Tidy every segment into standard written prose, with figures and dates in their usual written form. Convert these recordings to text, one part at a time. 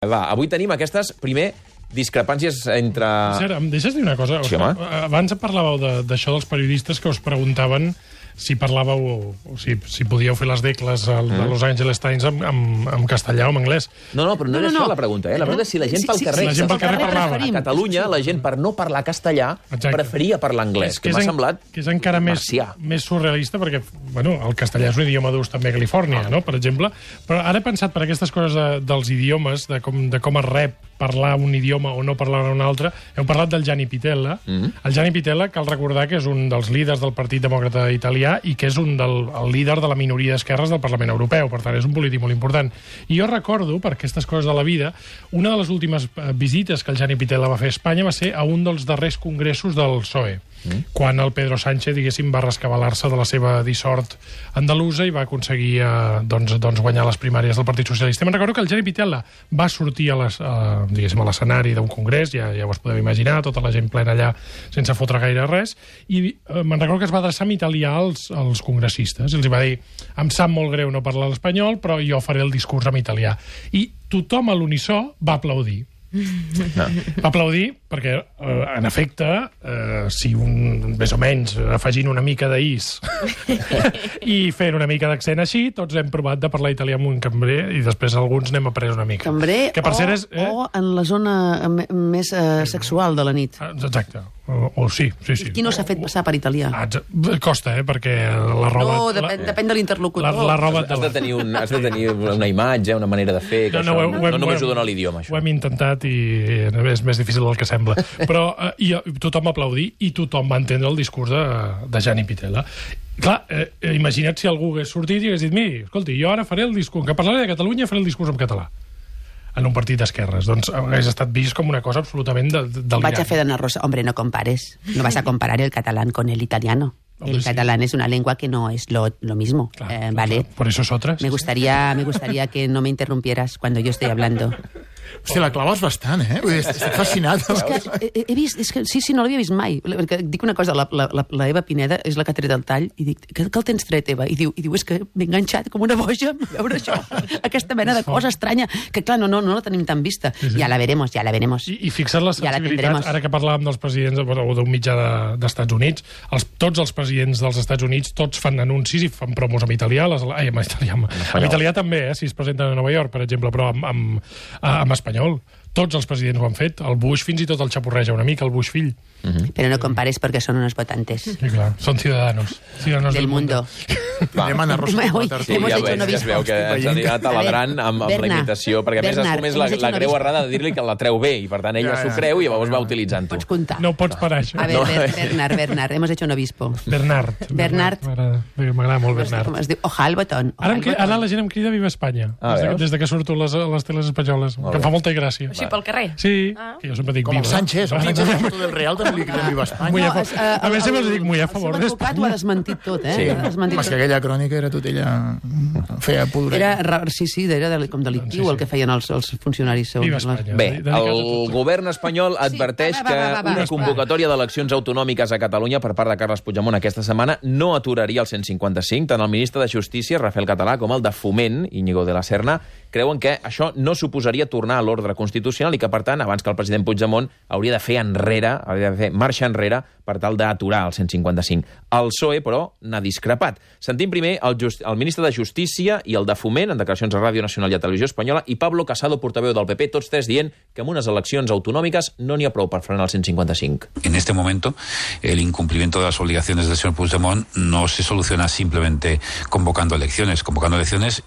Va, avui tenim aquestes, primer, discrepàncies entre... Cert, em deixes dir una cosa? Sí, home. Abans parlàveu d'això dels periodistes que us preguntaven si parlàveu o si podíeu fer les decles de Los Angeles Times en castellà o en anglès. No, però no era això la pregunta, eh? La pregunta és si la gent pel carrer... la gent pel carrer parlava. A Catalunya, la gent, per no parlar castellà, preferia parlar anglès, que m'ha semblat que és encara més surrealista, perquè bueno, el castellà és un idioma d'ús també a Califòrnia, no? Per exemple. Però ara he pensat per aquestes coses dels idiomes, de com es rep parlar un idioma o no parlar un altre. Heu parlat del Gianni Pittella. El Gianni Pittella, cal recordar que és un dels líders del Partit Demòcrata Italià i que és el líder de la minoria d'esquerres del Parlament Europeu. Per tant, és un polític molt important. I jo recordo, per aquestes coses de la vida, una de les últimes visites que el Gianni Pittella va fer a Espanya va ser a un dels darrers congressos del PSOE, quan el Pedro Sánchez, diguéssim, va rescabalar-se de la seva dissort andalusa i va aconseguir guanyar les primàries del Partit Socialista. Me'n recordo que el Gianni Pittella va sortir a l'escenari d'un congrés, ja us podeu imaginar, tota la gent plena allà sense fotre gaire res, i me'n recordo que es va adreçar en italià als congressistes. Els va dir, em sap molt greu no parlar l'espanyol, però jo faré el discurs en italià. I tothom a l'unisó va aplaudir. Va aplaudir perquè, en efecte, si més o menys afegint una mica d'is i fent una mica d'accent així, tots hem provat de parlar italià amb un cambrer i després alguns n'hem après una mica. Cambrer o en la zona més sexual de la nit. Exacte. Sí. Qui no s'ha fet passar per italià? Costa, perquè la roba... No, depèn de l'interlocutor. La roba has de tenir una imatge, una manera de fer, que no només ho dona l'idioma, això. Ho hem intentat i és més difícil del que sembla. Però tothom va aplaudir i tothom va entendre el discurs de Gianni Pittella. Clar, imagina't si algú hagués sortit i hagués dit, miri, escolti, jo ara faré el discurs, que parlaré de Catalunya, faré el discurs en català en un partit d'esquerres. Doncs hauria estat vist com una cosa absolutament delirant. Vaig a fer d'Anna Rosa. Hombre, no compares. No vas a comparar el catalán con el italiano. El catalán es una lengua que no es lo mismo. Claro, ¿vale? Por eso es otra. Me gustaría que no me interrumpieras cuando yo estoy hablando. Hòstia, la claves bastant, eh? Estic fascinat. És que he vist... Sí, no l'havia vist mai. Perquè dic una cosa, la Eva Pineda és la que ha tret el tall i dic, què el tens tret, Eva? I diu, és que m'he enganxat com una boja a veure això. Aquesta mena de cosa estranya, que clar, no la tenim tan vista. Ja la veremos. I fixa't les sensibilitats, ara que parlàvem dels presidents o d'un mitjà d'Estats Units, tots els presidents dels Estats Units, tots fan anuncis i fan promos en italià, en italià també, si es presenten a Nova York, per exemple, però en espanyol. Tots els presidents ho han fet. El Bush fins i tot el xapurreja una mica, el Bush fill. Pero no compares porque son unos votantes. Sí, clar, son ciudadanos del mundo. Anem a Anna Rosa. Ja es veu que ens anirà taladrant amb la imitació, perquè a més es comés la greu errada de dir-li que la treu bé, i per tant ella s'ho creu i llavors va utilitzant-ho. Pots comptar. No pots parar, això. A ver, Bernard, hemos hecho un obispo. Bernard. M'agrada molt Bernard. Com es diu? Oja el botón. Ara la gent em crida Viva Espanya, des que surto a les teles espanyoles, que em fa molta gràcia. Així pel carrer? Sí, que jo sempre dic com Viva. el Sánchez, la foto del Real també li cridem Viva Espanya. A més, sempre els dic muy a favor d'Espanya. El seu advocat ho ha desmentit tot, eh? Home, que aquella crònica era tot ella... feia pudor. Sí, era com delictiu el que feien els funcionaris. Viva Espanya. Bé, el govern espanyol adverteix que una convocatòria d'eleccions autonòmiques a Catalunya per part de Carles Puigdemont aquesta setmana no aturaria el 155. Tant el ministre de Justícia, Rafael Català, com el de Foment, Íñigo de la Serna, creuen que això no suposaria tornar a l'ordre constitucional i que, per tant, abans que el president Puigdemont hauria de fer marxa enrere per tal d'aturar el 155. El PSOE, però, n'ha discrepat. Sentim primer el ministre de Justícia i el de Foment, en declaracions a Ràdio Nacional i a Televisió Espanyola, i Pablo Casado, portaveu del PP, tots tres dient que amb unes eleccions autonòmiques no n'hi ha prou per frenar el 155. En este momento, el incumplimiento de las obligaciones del señor Puigdemont no se soluciona simplemente convocando elecciones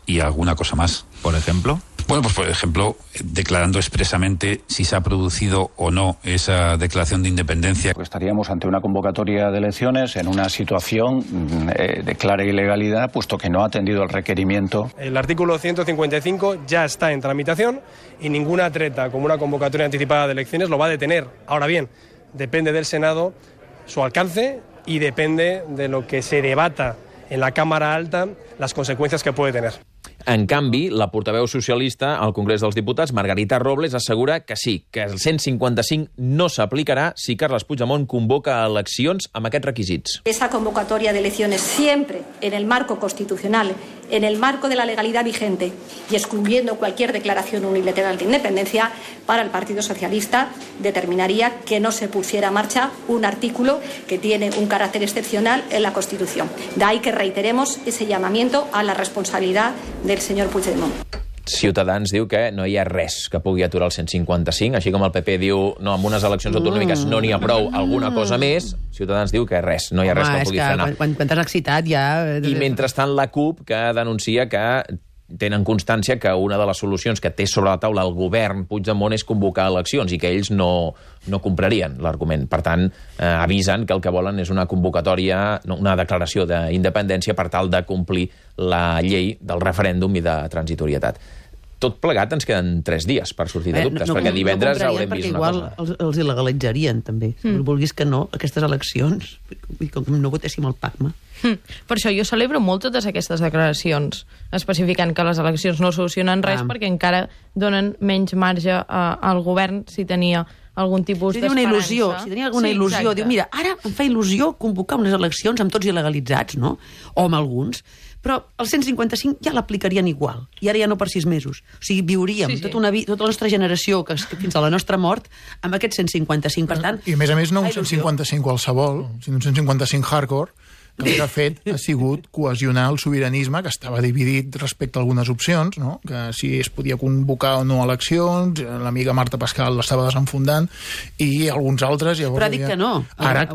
y alguna cosa más. ¿Por ejemplo? Bueno, pues por ejemplo, declarando expresamente si se ha producido o no esa declaración de independencia. Estaríamos ante una convocatoria de elecciones en una situación de clara ilegalidad, puesto que no ha atendido el requerimiento. El artículo 155 ya está en tramitación y ninguna treta como una convocatoria anticipada de elecciones lo va a detener. Ahora bien, depende del Senado su alcance y depende de lo que se debata en la Cámara Alta las consecuencias que puede tener. En canvi, la portaveu socialista al Congrés dels Diputats, Margarita Robles, assegura que sí, que el 155 no s'aplicarà si Carles Puigdemont convoca eleccions amb aquests requisits. Esa convocatoria de elecciones siempre en el marco constitucional en el marco de la legalidad vigente y excluyendo cualquier declaración unilateral de independencia, para el Partido Socialista determinaría que no se pusiera en marcha un artículo que tiene un carácter excepcional en la Constitución. De ahí que reiteremos ese llamamiento a la responsabilidad del señor Puigdemont. Ciutadans diu que no hi ha res que pugui aturar el 155, així com el PP diu no, amb unes eleccions autonòmiques no n'hi ha prou, alguna cosa més, Ciutadans diu que res, no hi ha res que pugui frenar. Quan t'has excitat ja... I mentrestant la CUP, que denuncia que tenen constància que una de les solucions que té sobre la taula el govern Puigdemont és convocar eleccions i que ells no comprarien l'argument. Per tant, avisen que el que volen és una convocatòria, una declaració d'independència per tal de complir la llei del referèndum i de transitorietat. Tot plegat ens queden 3 dies per sortir de dubtes, perquè divendres haurem vist una cosa. Igual els il·legalitzarien, també. Vulguis que no, aquestes eleccions, com no votéssim el PACMA. Per això jo celebro molt totes aquestes declaracions, especificant que les eleccions no solucionen res perquè encara donen menys marge al govern si tenia algun tipus d'esperança. Si tenia alguna il·lusió, diu, mira, ara em fa il·lusió convocar unes eleccions amb tots il·legalitzats, no? O amb alguns, però el 155 ja l'aplicarien igual, i ara ja no per 6 mesos. O sigui, viuríem tota la nostra generació, fins a la nostra mort, amb aquest 155, per tant... I a més no un 155 qualsevol, sinó un 155 hardcore, que el que ha fet ha sigut cohesionar el sobiranisme, que estava dividit respecte a algunes opcions, no? Que si es podia convocar o no eleccions, l'amiga Marta Pascal l'estava desenfundant, i alguns altres... Però ha dit que no. Ara,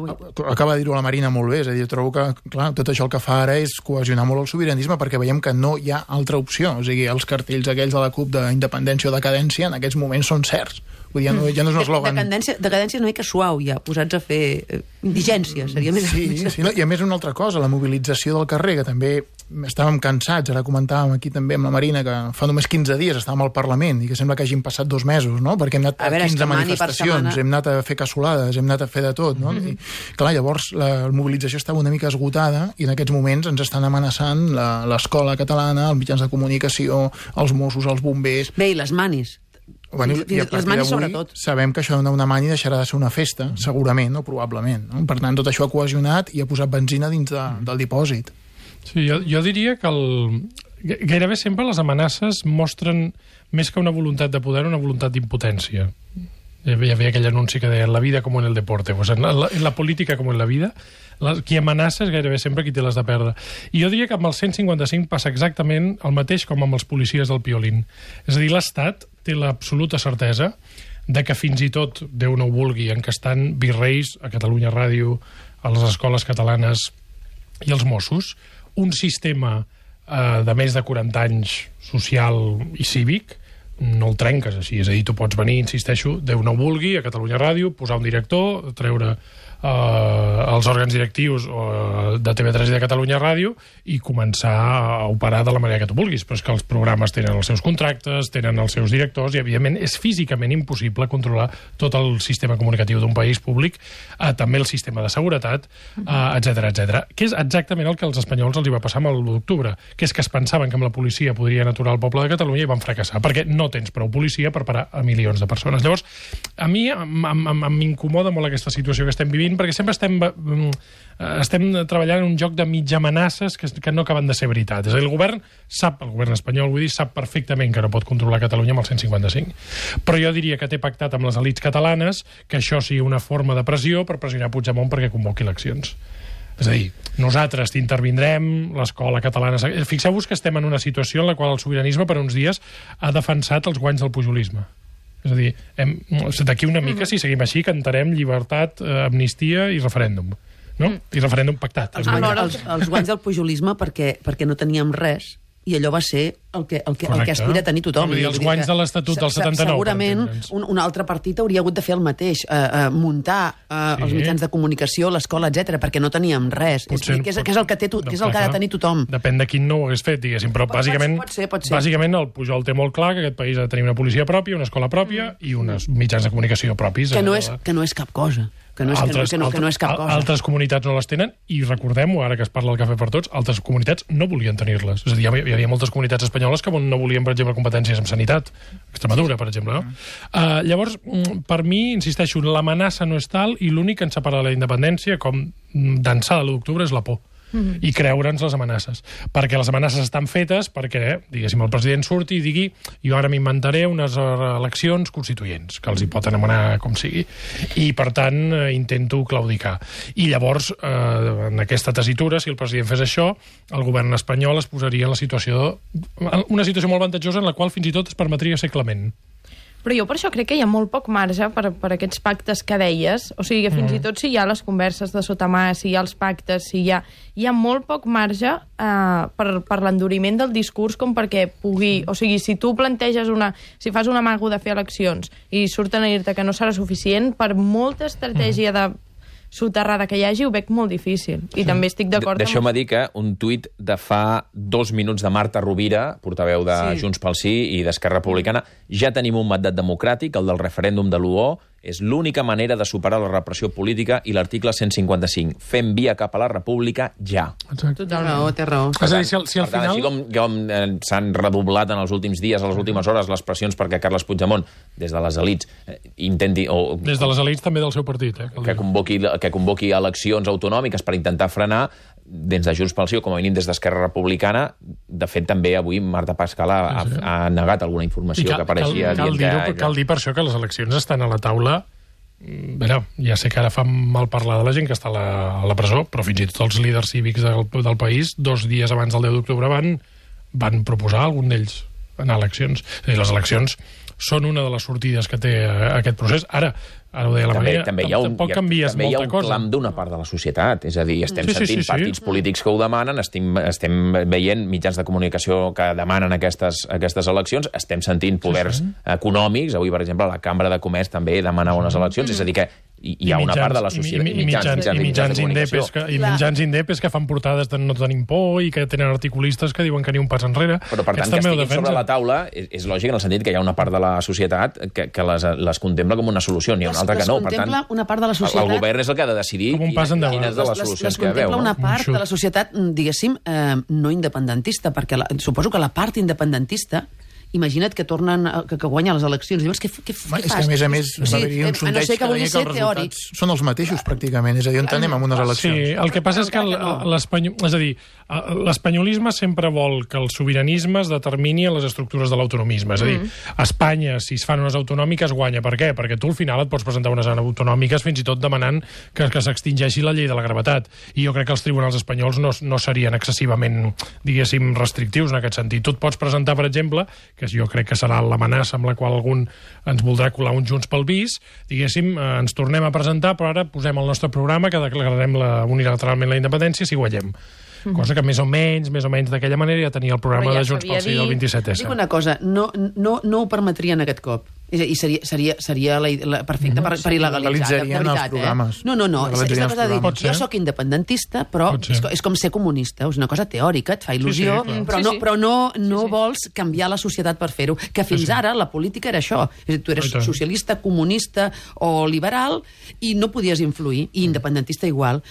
acaba de dir-ho la Marina molt bé, és a dir, jo trobo que, clar, tot això el que fa ara és cohesionar molt el sobiranisme, perquè veiem que no hi ha altra opció. O sigui, els cartells aquells de la CUP d'independència o decadència en aquests moments són certs. Vull dir, ja no és un eslògan... Decadència una mica suau, ja, posats a fer indigència, seria més... Sí, no? I a més una altra cosa, la mobilització del carrer, que també estàvem cansats, ara comentàvem aquí també amb la Marina, que fa només 15 dies estàvem al Parlament, i que sembla que hagin passat 2 mesos, no? Perquè hem anat a 15 manifestacions, hem anat a fer cassolades, hem anat a fer de tot, no? I, clar, llavors la mobilització estava una mica esgotada, i en aquests moments ens estan amenaçant l'escola catalana, els mitjans de comunicació, els Mossos, els bombers... Bé, i les manis. Bueno, i a partir d'avui sabem que això d'una mani deixarà de ser una festa, segurament o probablement, no? Per tant, tot això ha cohesionat i ha posat benzina dins del dipòsit. Sí, jo diria que gairebé sempre les amenaces mostren més que una voluntat de poder, una voluntat d'impotència. Hi havia aquell anunci que deia la vida com en el deporte, pues en la política com en la vida, qui amenaça és gairebé sempre qui té les de perdre. I jo diria que amb el 155 passa exactament el mateix com amb els policies del Piolín. És a dir, l'Estat té l'absoluta certesa de que fins i tot, Déu no ho vulgui, encastant virreis a Catalunya Ràdio, a les escoles catalanes i als Mossos, un sistema de més de 40 anys social i cívic no el trenques així, és a dir, tu pots venir, insisteixo, Déu no ho vulgui, a Catalunya Ràdio, posar un director, treure els òrgans directius de TV3 i de Catalunya Ràdio i començar a operar de la manera que tu vulguis, però és que els programes tenen els seus contractes, tenen els seus directors i evidentment és físicament impossible controlar tot el sistema comunicatiu d'un país públic, també el sistema de seguretat, etc. Que és exactament el que als espanyols els hi va passar amb l'1 d'octubre, que és que es pensaven que amb la policia podrien aturar el poble de Catalunya i van fracassar, perquè no tens prou policia per parar a milions de persones. Llavors, a mi m'incomoda molt aquesta situació que estem vivint, perquè sempre estem treballant en un joc de mitja amenaces que no acaben de ser veritat. És a dir, el govern espanyol, vull dir, sap perfectament que no pot controlar Catalunya amb el 155. Però jo diria que té pactat amb les elits catalanes que això sigui una forma de pressió per pressionar Puigdemont perquè convoqui eleccions. És a dir, nosaltres t'intervindrem, l'escola catalana... Fixeu-vos que estem en una situació en la qual el sobiranisme per uns dies ha defensat els guanys del pujolisme. És a dir, d'aquí una mica, si seguim així, cantarem llibertat, amnistia i referèndum. No? I referèndum pactat. Els guanys del pujolisme perquè no teníem res i allò va ser el que aspira a tenir tothom. Els guanys de l'Estatut del 79. Segurament un altre partit hauria hagut de fer el mateix, muntar els mitjans de comunicació, l'escola, etc, perquè no teníem res. Que és el que ha de tenir tothom. Depèn de quin no ho hagués fet, diguéssim, però bàsicament el Pujol té molt clar que aquest país ha de tenir una policia pròpia, una escola pròpia i uns mitjans de comunicació propis. Que no és cap cosa. Que no és cap cosa. Altres comunitats no les tenen i recordem-ho, ara que es parla del cafè per tots, altres comunitats no volien tenir-les. És a dir, hi havia moltes comunitats espanyoles que no volien, per exemple, competències en sanitat. Extremadura, per exemple, no? Llavors, per mi, insisteixo, l'amenaça no és tal i l'únic que ens separa de la independència, com d'ençà de l'1 d'octubre, és la por. i creure'ns les amenaces. Perquè les amenaces estan fetes perquè, diguéssim, el president surti i digui jo ara m'inventaré unes eleccions constituents, que els hi pot anomenar com sigui. I, per tant, intento claudicar. I llavors, en aquesta tessitura, si el president fes això, el govern espanyol es posaria en una situació molt avantatjosa en la qual fins i tot es permetria ser clement. Però jo per això crec que hi ha molt poc marge per aquests pactes que deies. O sigui, fins i tot si hi ha les converses de sota mà, si hi ha els pactes, hi ha molt poc marge per l'enduriment del discurs com perquè pugui... O sigui, si tu planteges si fas un amago de fer eleccions i surten a dir-te que no serà suficient, per molta estratègia de soterrada que hi hagi, ho veig molt difícil. I també estic d'acord amb... Deixeu-me dir que un tuit de fa 2 minuts de Marta Rovira, portaveu de Junts pel Sí i d'Esquerra Republicana, ja tenim un mandat democràtic, el del referèndum de l'1, és l'única manera de superar la repressió política i l'article 155. Fem via cap a la república ja. Exacte. Té raó. És a dir, si al final... Així com s'han redoblat en els últims dies, a les últimes hores, les pressions perquè Carles Puigdemont, des de les elits, intenti... Des de les elits també del seu partit, que convoqui eleccions autonòmiques per intentar frenar, des de Junts pel Sí o com a mínim des d'Esquerra Republicana. De fet, també avui Marta Pascal ha negat alguna informació que apareixia. Cal dir per això que les eleccions estan a la taula. Ja sé que ara fa mal parlar de la gent que està a la presó, però fins i tot els líders cívics del país, 2 dies abans del 10 d'octubre van proposar algun d'ells anar a eleccions. És a dir, les eleccions són una de les sortides que té aquest procés. Ara ho deia la Maria, tampoc canvies molta cosa. També hi ha un clam d'una part de la societat. És a dir, estem sentint partits polítics que ho demanen, estem veient mitjans de comunicació que demanen aquestes eleccions, estem sentint poders econòmics. Avui, per exemple, la Cambra de Comerç també demanava unes eleccions. És a dir, que hi ha una part de la societat... I mitjans indepes que fan portades de no tenim por i que tenen articulistes que diuen que ni un pas enrere. Però, per tant, que estiguin sobre la taula és lògic en el sentit que hi ha una part de la societat que les contempla com una solució, n'hi ha una altra que no. Per tant, una part de la societat... el govern és el que ha de decidir quines de les solucions que veu. Les contempla una part de la societat, diguéssim, no independentista, perquè suposo que la part independentista, imagina't que guanya les eleccions. Dius, què fas? És que, a més, va haver-hi un sondeig que deia que els resultats són els mateixos, pràcticament. És a dir, on anem amb unes eleccions? Sí, el que passa és que l'espanyolisme sempre vol que el sobiranisme es determini en les estructures de l'autonomisme. És a dir, a Espanya, si es fan unes autonòmiques, guanya. Per què? Perquè tu al final et pots presentar unes autonòmiques fins i tot demanant que s'extingeixi la llei de la gravetat. I jo crec que els tribunals espanyols no serien excessivament, diguéssim, restrictius en aquest sentit. Tu et pots presentar, per exemple, que jo crec que serà l'amenaça amb la qual algun ens voldrà colar un Junts pel Bis, diguéssim, ens tornem a presentar, però ara posem al nostre programa que declararem unilateralment la independència si guanyem. Cosa que més o menys d'aquella manera ja tenia el programa de Junts pel Sí del 27S. Dic una cosa, no ho permetrien aquest cop. I seria perfecte per il·legalitzar, de veritat. No. És una cosa de dir, jo sóc independentista, però és com ser comunista. És una cosa teòrica, et fa il·lusió, però no vols canviar la societat per fer-ho. Que fins ara la política era això. És a dir, tu eres socialista, comunista o liberal i no podies influir, i independentista igual.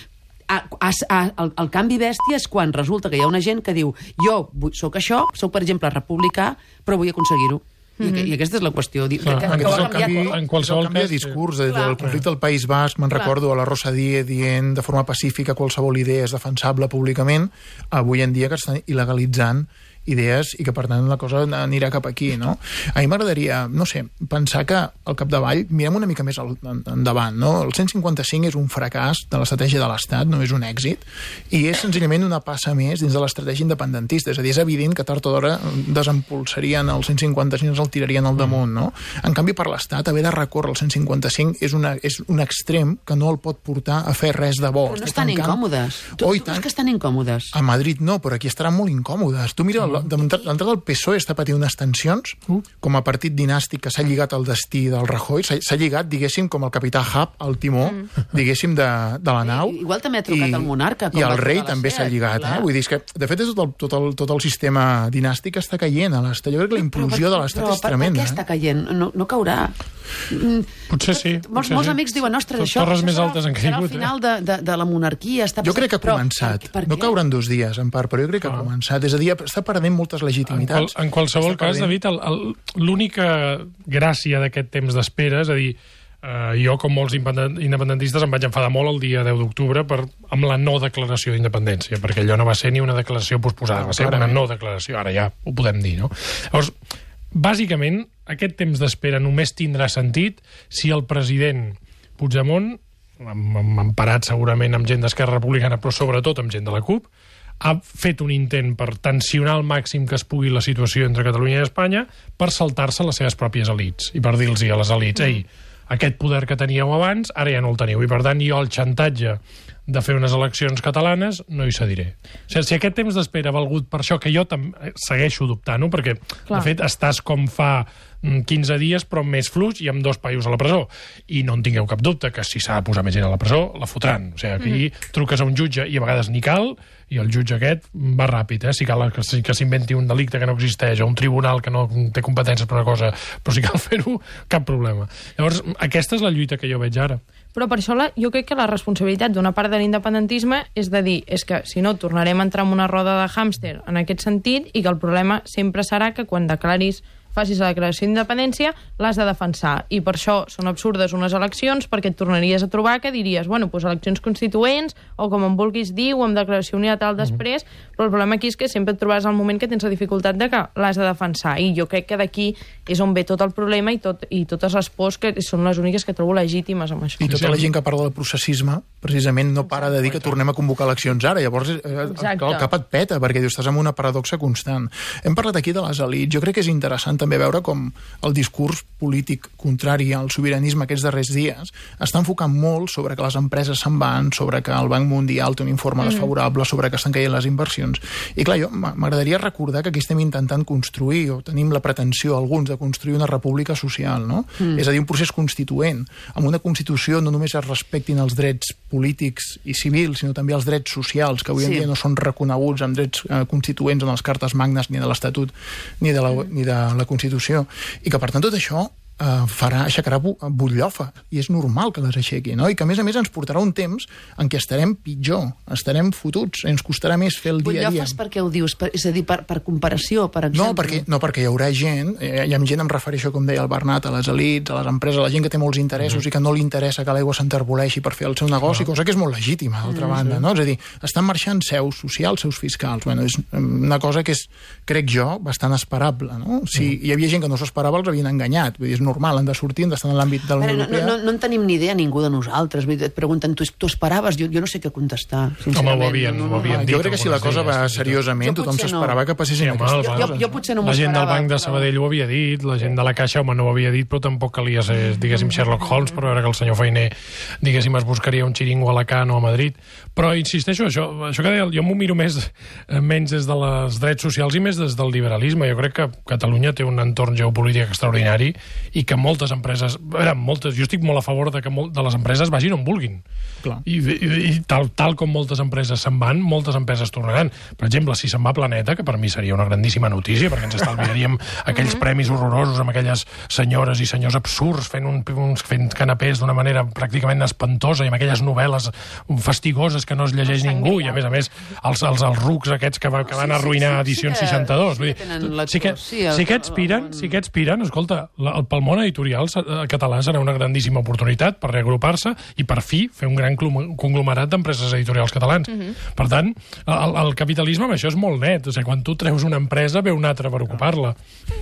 El canvi bèstia és quan resulta que hi ha una gent que diu jo sóc això, sóc per exemple republicà, però vull aconseguir-ho. I aquesta és la qüestió. En qualsevol canvi de discurs del conflicte del País Basc, me'n recordo a la Rosa Díez dient de forma pacífica qualsevol idea és defensable públicament, avui en dia que estan il·legalitzant idees i que, per tant, la cosa anirà cap aquí, no? A mi m'agradaria, no sé, pensar que al capdavall mirem una mica més endavant, no? El 155 és un fracàs de l'estratègia de l'Estat, no és un èxit, i és senzillament una passa més dins de l'estratègia independentista. És a dir, és evident que tard o d'hora desempolsarien el 155 i ens el tirarien al damunt, no? En canvi, per l'Estat, haver de recórrer el 155 és un extrem que no el pot portar a fer res de bo. Però no estan incòmodes. Tu creus que estan incòmodes? A Madrid no, però aquí estaran molt incòmodes. Tu mira l'entrada del PSOE està patint unes tensions com a partit dinàstic que s'ha lligat al destí del Rajoy, s'ha lligat, diguéssim, com el capità Hub al timó, diguéssim, de la nau. Igual també ha trucat el monarca. I el rei també s'ha lligat. Vull dir, que, de fet, tot el sistema dinàstic està caient a l'Estat. Jo crec que la implosió de l'Estat és tremenda. Per què està caient? No caurà. Potser sí. Molts amics diuen, ostres, això serà el final de la monarquia. Jo crec que ha començat. No caurà en 2 dies, en part, però jo crec que ha començat. És a dir, està perdent moltes legitimitats. En qualsevol cas, David, l'única gràcia d'aquest temps d'espera, és a dir, Jo, com molts independentistes, em vaig enfadar molt el dia 10 d'octubre amb la no declaració d'independència, perquè allò no va ser ni una declaració posposada, va ser una no declaració, ara ja ho podem dir, no? Llavors, bàsicament, aquest temps d'espera només tindrà sentit si el president Puigdemont, emparat segurament amb gent d'Esquerra Republicana, però sobretot amb gent de la CUP, ha fet un intent per tensionar al màxim que es pugui la situació entre Catalunya i Espanya per saltar-se les seves pròpies elits i per dir-los a les elits, ei, aquest poder que teníeu abans, ara ja no el teniu. I, per tant, jo el xantatge de fer unes eleccions catalanes no hi cediré. O sigui, si aquest temps d'espera ha valgut per això, que jo segueixo dubtant-ho, perquè, de fet, estàs com fa 15 dies, però més fluix i amb 2 paios a la presó. I no en tingueu cap dubte que si s'ha de posar més gent a la presó, la fotran. O sigui, aquí truques a un jutge i a vegades ni cal, i el jutge aquest va ràpid, si cal que s'inventi un delicte que no existeix, o un tribunal que no té competències per una cosa, però si cal fer-ho, cap problema. Llavors, aquesta és la lluita que jo veig ara. Però per això jo crec que la responsabilitat d'una part de l'independentisme és de dir, és que si no tornarem a entrar en una roda de hàmster en aquest sentit, i que el problema sempre serà que quan facis la declaració d'independència, l'has de defensar. I per això són absurdes unes eleccions, perquè et tornaries a trobar que diries, bueno, doncs eleccions constituents, o com en vulguis dir, o amb declaració unilateral després, però el problema aquí és que sempre et trobaràs al moment que tens la dificultat de que l'has de defensar. I jo crec que d'aquí és on ve tot el problema i totes les pors que són les úniques que trobo legítimes amb això. I tota la gent que parla del processisme, precisament no para de dir que tornem a convocar eleccions ara. Llavors el cap et peta, perquè dius, estàs en una paradoxa constant. Hem parlat aquí de les elits. Jo crec que és interessant també veure com el discurs polític contrari al sobiranisme aquests darrers dies està enfocant molt sobre que les empreses se'n van, sobre que el Banc Mundial té un informe desfavorable, sobre que estan caient les inversions. I clar, jo m'agradaria recordar que aquí estem intentant construir, o tenim la pretensió alguns de construir una república social, no? És a dir, un procés constituent. Amb una Constitució no només es respectin els drets polítics i civils, sinó també els drets socials, que avui en dia no són reconeguts amb drets constituents en les cartes magnes ni de l'Estatut ni de la Constitució. I que, per tant, tot això aixecarà butllofa, i és normal que les aixequi, no? I que, a més ens portarà un temps en què estarem pitjor, estarem fotuts, ens costarà més fer el dia a dia. Butllofa per què ho dius? És a dir, per comparació, per exemple? No, perquè hi haurà gent, em refereixo, com deia el Bernat, a les elits, a les empreses, a la gent que té molts interessos i que no li interessa que l'aigua s'enterboleixi per fer el seu negoci, cosa que és molt legítima, d'altra banda, no? És a dir, estan marxant seus socials, seus fiscals. Bueno, és una cosa que és, crec jo, bastant esperable, no? Si hi havia gent que no s'esperava, els havien enganyat. Vull dir, és normal, han de sortir, han d'estar en l'àmbit de la Unió Europea. No en tenim ni idea, ningú de nosaltres. Et pregunten, tu esperaves? Jo no sé què contestar, sincerament. Ho havien dit. Jo crec que si la cosa va seriosament, tothom s'esperava que passessin aquestes coses. Jo potser no m'ho esperava. La gent del Banc de però... Sabadell ho havia dit, la gent de la Caixa, home, no ho havia dit, però tampoc calia ser, diguéssim, Sherlock Holmes, per veure que el senyor Fainé, diguéssim, es buscaria un xiringo a Alacant o a Madrid. Però, insisteixo, això que deia, jo m'ho miro menys des dels drets socials i més des del liberalisme. Jo crec que Catalunya té un entorn geopolític extraordinari i que moltes empreses... jo estic molt a favor de que de les empreses vagin on vulguin. I tal com moltes empreses se'n van, moltes empreses tornaran. Per exemple, si se'n va Planeta, que per mi seria una grandíssima notícia, perquè ens estalviaríem aquells premis horrorosos amb aquelles senyores i senyors absurds fent canapés d'una manera pràcticament espantosa i amb aquelles novel·les fastigoses que no es llegeix ningú, i a més els rucs aquests que van arruïnar Edicions 62. Si aquests piren, escolta, pel món editorial català serà una grandíssima oportunitat per reagrupar-se i per fi fer un gran conglomerat d'empreses editorials catalans. Per tant, el capitalisme amb això és molt net. O sigui, quan tu treus una empresa, ve una altra per ocupar-la.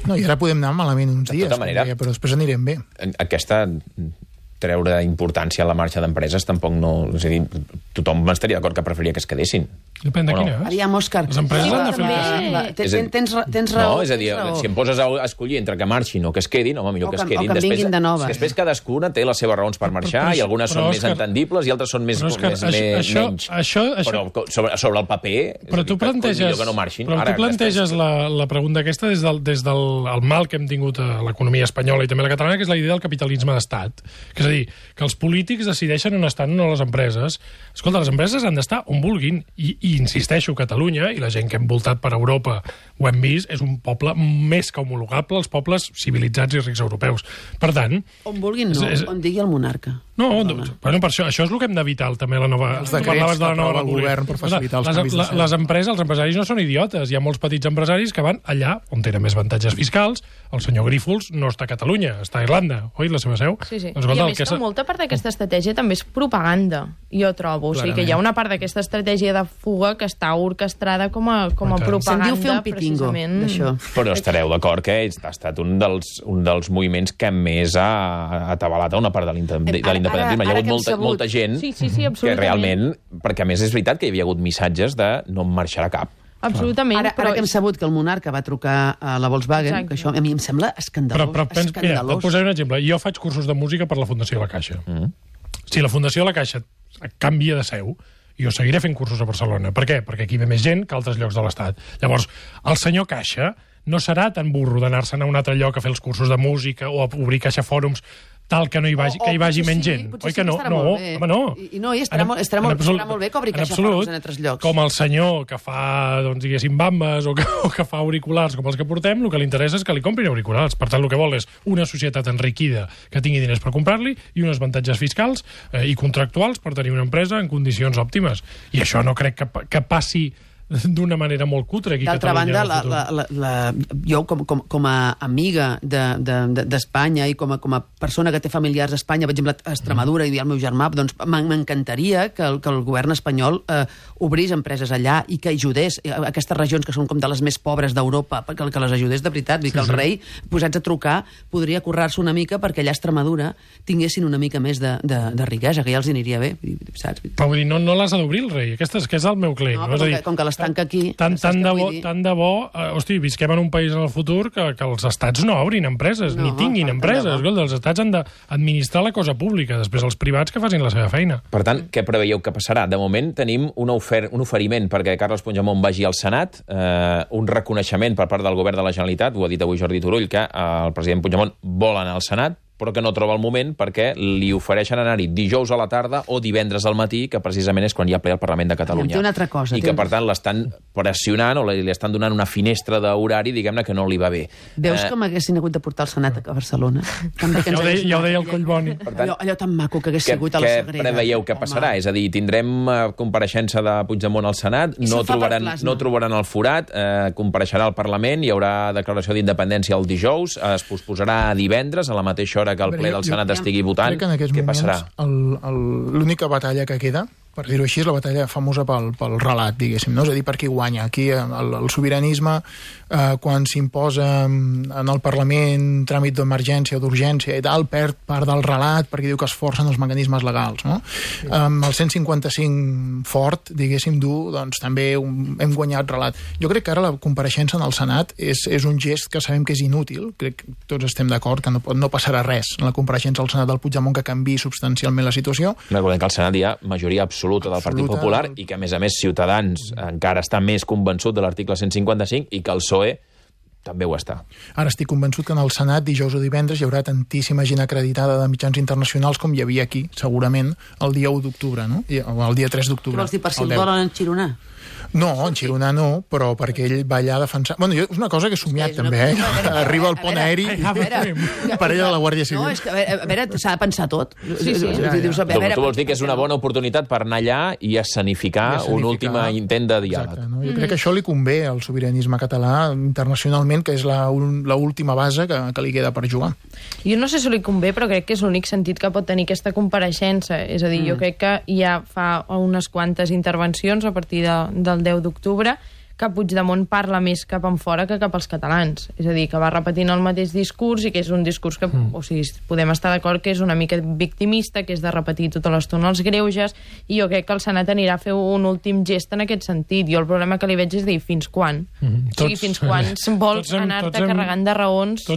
No, i ara podem anar malament uns dies, tota manera, però després anirem bé. Aquesta treure importància a la marxa d'empreses tampoc no... És a dir, tothom estaria d'acord que preferiria que es quedessin. Depèn de quina. Aviam, Òscar. Les empreses han de fer... Tens raó. No, és a dir, si em poses a escollir entre que marxin o que es quedin, home, millor que es quedin. O que vinguin de noves. Després cadascuna té les seves raons per marxar i algunes són més entendibles i altres són menys. Però sobre el paper, però tu planteges, que no marxin. Però tu planteges la pregunta aquesta des del mal que hem tingut a l'economia espanyola i també a la catalana, que és la idea del capitalisme d'estat. Que és a dir, que els polítics decideixen on estan o no les empreses. Escolta, les empreses han d'estar on vulguin i I insisteixo, Catalunya, i la gent que hem voltat per Europa ho hem vist, és un poble més que homologable als pobles civilitzats i rics europeus. Per tant... On vulguin, no. On digui el monarca. No, bueno, per això és el que hem d'evitar també la nova... Els decrets que aprova el govern per facilitar els canvis de seu. Les empreses, els empresaris no són idiotes. Hi ha molts petits empresaris que van allà on tenen més avantatges fiscals. El senyor Grífols no està a Catalunya, està a Irlanda, oi, la seva seu? Sí. Doncs, i a més que molta part d'aquesta estratègia també és propaganda, jo trobo. O sigui que hi ha una part d'aquesta estratègia de fuga que està orquestrada com a propaganda. Se'n diu fer un pitingo, d'això. Però estareu d'acord que ha estat un dels moviments que més ha atabalat a una part de l'independentisme. Hi ha hagut molta gent que realment... Perquè a més és veritat que hi havia hagut missatges de no em marxarà cap. Absolutament. Ara que hem sabut que el monarca va trucar a la Volkswagen, que això a mi em sembla escandalós. Però mira, et posaré un exemple. Jo faig cursos de música per la Fundació La Caixa. Si la Fundació La Caixa canvia de seu, jo seguiré fent cursos a Barcelona. Per què? Perquè aquí ve més gent que a altres llocs de l'Estat. Llavors, el senyor Caixa no serà tan burro d'anar-se'n a un altre lloc a fer els cursos de música o a obrir Caixa Fòrums tal que no hi vagi menys gent. Oi que no? No, home, no. I no, estarà molt bé que obri Caixa Fòrums en altres llocs. Com el senyor que fa, doncs, diguéssim, bambes o que fa auriculars com els que portem, el que li interessa és que li comprin auriculars. Per tant, el que vol és una societat enriquida que tingui diners per comprar-li i uns avantatges fiscals i contractuals per tenir una empresa en condicions òptimes. I això no crec que passi d'una manera molt cutre aquí a Catalunya. D'altra banda, jo com a amiga d'Espanya i com a persona que té familiars a Espanya, per exemple, a Extremadura, i al meu germà, doncs m'encantaria que el govern espanyol obrís empreses allà i que ajudés a aquestes regions que són com de les més pobres d'Europa, que les ajudés de veritat. Vull dir que el rei, posats a trucar, podria currar-se una mica perquè allà a Extremadura tinguessin una mica més de riquesa, que ja els aniria bé, saps? Però vull dir, no les ha d'obrir el rei, aquest és el meu claim. No, però com que tanca aquí... Tant de bo, hosti, visquem en un país en el futur que els estats no obrin empreses, ni tinguin empreses. Els estats han d'administrar la cosa pública, després els privats que facin la seva feina. Per tant, què preveieu que passarà? De moment tenim un oferiment perquè Carles Puigdemont vagi al Senat, un reconeixement per part del govern de la Generalitat, ho ha dit avui Jordi Turull, que el president Puigdemont vol anar al Senat, però que no troba el moment perquè li ofereixen anar-hi dijous a la tarda o divendres al matí, que precisament és quan hi ha ple al Parlament de Catalunya. Una altra cosa. I que, per tant, l'estan pressionant o li estan donant una finestra d'horari, diguem-ne, que no li va bé. Veus com haguessin hagut de portar el Senat a Barcelona? Ja ho deia el Collboni. Allò tan maco que hagués sigut a la Sagrera. Què preveieu que passarà? És a dir, tindrem compareixença de Puigdemont al Senat, no trobaran el forat, compareixerà al Parlament, hi haurà declaració d'independència el dijous, es posposarà a divendres, a la mateixa hora que el ple del Senat estigui votant. Què passarà? L'única batalla que queda, per dir-ho així, és la batalla famosa pel relat, diguéssim, no? És a dir, per qui guanya. Aquí el sobiranisme, quan s'imposa en el Parlament tràmit d'emergència o d'urgència i tal, perd part del relat perquè diu que es forcen els mecanismes legals, no? El 155 fort, diguéssim, doncs també hem guanyat relat. Jo crec que ara la compareixença en el Senat és un gest que sabem que és inútil, crec que tots estem d'acord que no passarà res en la compareixença al Senat del Puigdemont que canviï substancialment la situació. Recordem que al Senat hi ha majoria absoluta del Partit Popular i que, a més, Ciutadans encara està més convençut de l'article 155 i que el PSOE també ho està. Ara estic convençut que en el Senat, dijous o divendres, hi haurà tantíssima gent acreditada de mitjans internacionals com hi havia aquí, segurament, el dia 1 d'octubre, no? O el dia 3 d'octubre. Què vols dir, per si el volen enxironar? No, enxironar no, però perquè ell va allà a defensar... Bueno, és una cosa que he somiat, també, Arriba al pont aeri per ella de la Guàrdia Civil. No, és que, a veure, s'ha de pensar tot. Sí. Tu vols dir que és una bona oportunitat per anar allà i escenificar un últim intent de diàleg. Exacte, no? Jo crec que això li convé al sobiranisme català internacionalment, que és l'última base que li queda per jugar. Jo no sé si li convé, però crec que és l'únic sentit que pot tenir aquesta compareixença. És a dir, jo crec que ja fa unes quantes intervencions a partir del 10 d'octubre que Puigdemont parla més cap en fora que cap als catalans. És a dir, que va repetint el mateix discurs i que és un discurs que, o sigui, podem estar d'acord que és una mica victimista, que és de repetir tota l'estona els greuges, i jo crec que el Senat anirà a fer un últim gest en aquest sentit. Jo el problema que li veig és dir, fins quan? O sigui, fins quan vols anar-te carregant de raons?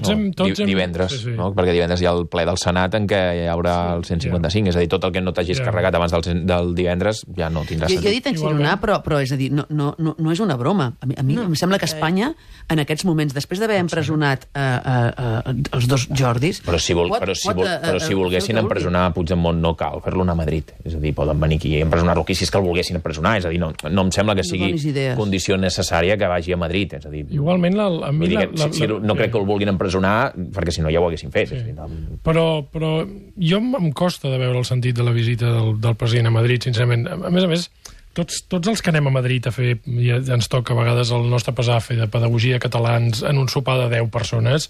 Divendres, no? Perquè divendres hi ha el ple del Senat en què hi haurà el 155, és a dir, tot el que no t'hagis carregat abans del divendres ja no tindrà sentit. Jo he dit enxironar, però és a dir, no és una broma. broma. A mi em sembla que Espanya, en aquests moments, després d'haver empresonat els dos Jordis... Però si volguessin empresonar Puigdemont no cal fer-lo anar a Madrid. És a dir, poden venir aquí i empresonar-lo aquí si és que el volguessin empresonar. És a dir, no em sembla que sigui condició necessària que vagi a Madrid. És a dir, igualment, no crec que el vulguin empresonar, perquè si no ja ho haguessin fet. Però jo em costa de veure el sentit de la visita del president a Madrid, sincerament. A més, tots els que anem a Madrid a fer, ja ens toca a vegades el nostre pesar a fer de pedagogia de catalans en un sopar de 10 persones,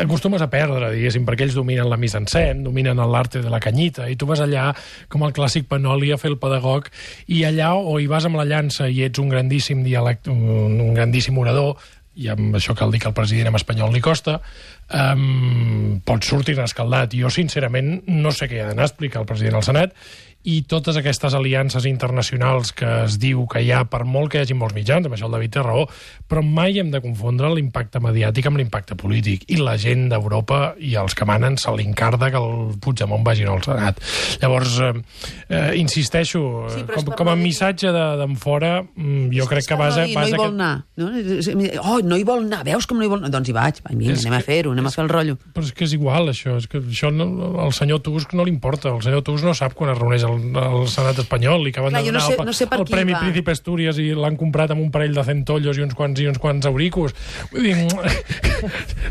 acostumes a perdre, diguéssim, perquè ells dominen la mise-en-scène, dominen l'arte de la canyita, i tu vas allà com el clàssic Panoli a fer el pedagog, i allà o hi vas amb la llança i ets un grandíssim dialecte, un grandíssim orador, i amb això cal dir que el president en espanyol li costa, pots sortir escaldat. Jo, sincerament, no sé què ha d'anar a explicar el president al Senat, i totes aquestes aliances internacionals que es diu que hi ha, per molt que hi hagi molts mitjans, amb això el David té raó, però mai hem de confondre l'impacte mediàtic amb l'impacte polític, i la gent d'Europa i els que manen se l'encarda que el Puigdemont vagi al Senat. Llavors, insisteixo, com a missatge d'en fora, jo crec que vas a... No hi vol anar. No hi vol anar, veus com no hi vol anar? Doncs hi vaig, anem a fer-ho, anem a fer el rotllo. Però és que és igual, això. És que això al senyor Tusk no li importa. El senyor Tusk no sap quan es reuneix el Senat espanyol i que van donar el Premi Príncipe Asturias i l'han comprat amb un parell de centollos i uns quants auricos. Vull dir...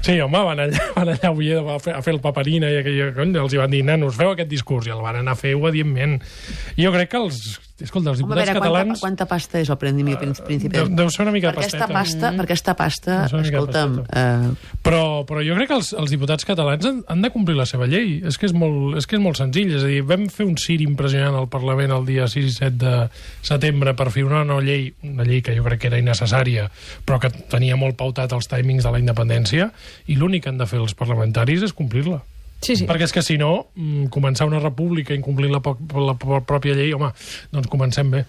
Sí, home, van allà a Oviedo a fer el paperina i els hi van dir, nanos, feu aquest discurs, i el van anar a fer obedientment. Jo crec que els diputats catalans... Quanta pasta és el Premi Príncipe? Deu ser una mica de pasteta. Per aquesta pasta, escolta'm... Però jo crec que els diputats catalans han de complir la seva llei. És que és molt senzill. És a dir, vam fer un cir impressionant al Parlament el dia 6 i 7 de setembre per fer una llei que jo crec que era innecessària, però que tenia molt pautat els timings de la independència, i l'únic que han de fer els parlamentaris és complir-la. Sí. Perquè és que si no, començar una república incomplint la pròpia llei, home, doncs comencem bé.